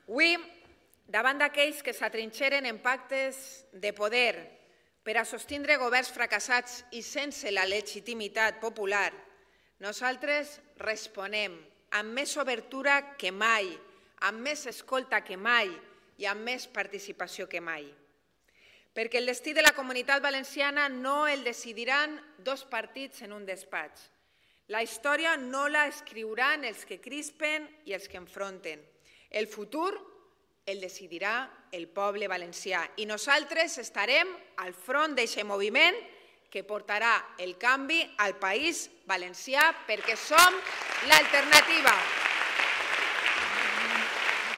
Avui, davant d'aquells que s'atrinxeren en pactes de poder per a sostindre governs fracassats i sense la legitimitat popular, nosaltres responem amb més obertura que mai, amb més escolta que mai i amb més participació que mai. Perquè el destí de la Comunitat Valenciana no el decidiran dos partits en un despatx. La història no la escriuran els que crispen i els que enfronten. El futur el decidirà el poble valencià i nosaltres estarem al front d'aquest moviment que portarà el canvi al País Valencià perquè som l'alternativa.